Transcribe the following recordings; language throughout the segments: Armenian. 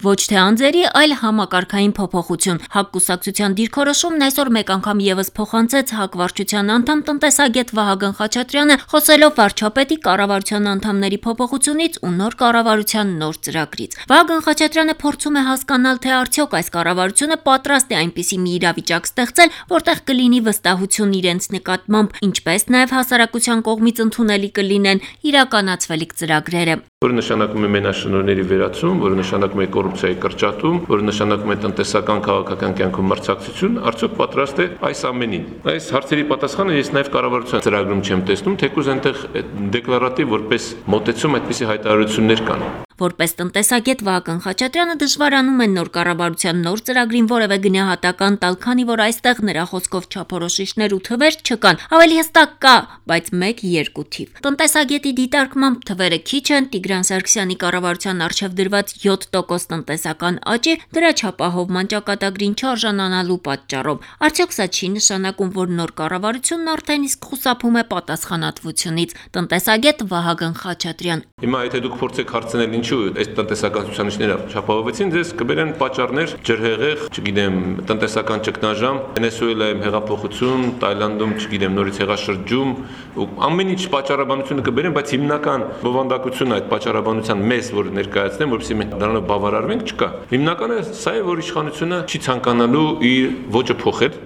Ոչ թե անձերի, այլ համակարգային փոփոխություն։ ՀԱԿ կուսակցության դիրքորոշումն այսօր մեկ անգամ ևս փոխանցեց ՀԱԿ վարչության անդամ տնտեսագետ Վահագն Խաչատրյանը, խոսելով վարչապետի կառավարության անդամների փոփոխությունից ու նոր կառավարության նոր ծրագրից։ Վահագն Խաչատրյանը փորձում է հասկանալ, թե արդյոք այս կառավարությունը պատրաստ է այնպիսի մի իրավիճակ ստեղծել, որտեղ կլինի վստահություն իրենց նկատմամբ, ինչպես նաև հասարակության կողմից ընդունելի կլինեն իրականացվելիք ծրագրերը։ Որը նշանակում է մենաշնորհների վերացում, որը նշանակում է կոռուպցիայի կրճատում, որը նշանակում է տնտեսական քաղաքական կյանքում մրցակցություն, արդյոք պատրաստ է այս ամենին։ Այս հարցերի պատասխանը ես նաև կառավարության ծրագրում չեմ տեսնում, թեկուզ այնտեղ դեկլարատիվ որպես մոտեցում այդպիսի հայտարարություններ կան։ Որպես տնտեսագետ Վահագն Խաչատրյանը դժվարանում է նոր կառավարության նոր ծրագրին որևէ գնահատական տալ, քանի որ այստեղ նրա խոսքով չափորոշիչներ ու թվեր չկան։ Ավելի հստակ կա, բայց 1-2 թիվ։ Տնտեսագետի դիտարկմամբ թվերը քիչ են, Տիգրան Սարգսյանի կառավարության առջև դրված 7% տնտեսական աճի դրա չափահովման ճակատագրին չարժանանալու պատճառով։ Արդյոք սա չի նշանակում, որ նոր կառավարությունն արդեն իսկ խուսափում է պատասխանատվությունից։ Տնտեսագետ Վահագն Խաչատրյան։ Հիմա եթե դուք փորձեք հարցնել ինչու այս տնտեսական ցուցանիշները չափահովեցին, ձեզ կբերեն պատճառներ, ջրհեղեղ, չգիտեմ, տնտեսական ճգնաժամ, Վենեսուելայում հեղափոխություն, Թայլանդում, չգիտեմ, նորից հեղաշրջում, ու ամեն ինչ պատճառաբանությունը կբերեն, բայց հիմնական բովանդակությունը այդ պատճառաբանության մեզ, որ ներկայացնեն, որովհետեւ մենք դրանով բավարարվենք, չկա։ Հիմնականը սա է, որ իշխանությունը չի ցանկանալու իր ոճը փոխել։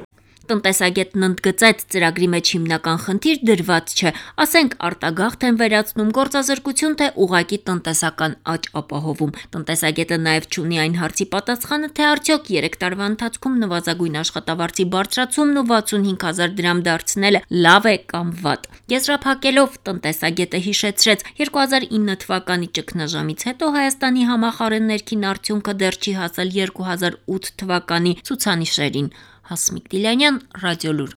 Տնտեսագետն ընդգծեց, ծրագրի մեջ հիմնական խնդիր դրված չէ, ասենք արտագաղթ են վերացնում, գործազրկություն, թե ուղղակի տնտեսական աճ ապահովում։ Տնտեսագետը նաև չունի այն հարցի պատասխանը, թե արդյոք 3 տարվա ընթացքում նվազագույն աշխատավարձի բարձրացումն ու 65,000 դրամ դարձնելը լավ է կամ վատ։ Եզրափակելով, տնտեսագետը հիշեցրեց, 2009 թվականի ճգնաժամից հետո Հայաստանի համախառն ներքին արդյունքը դեռ չի հասել 2008 թվականի ցուցանիշերին։ Հասմիկ Դիլյանյան, Ռադիոլուր։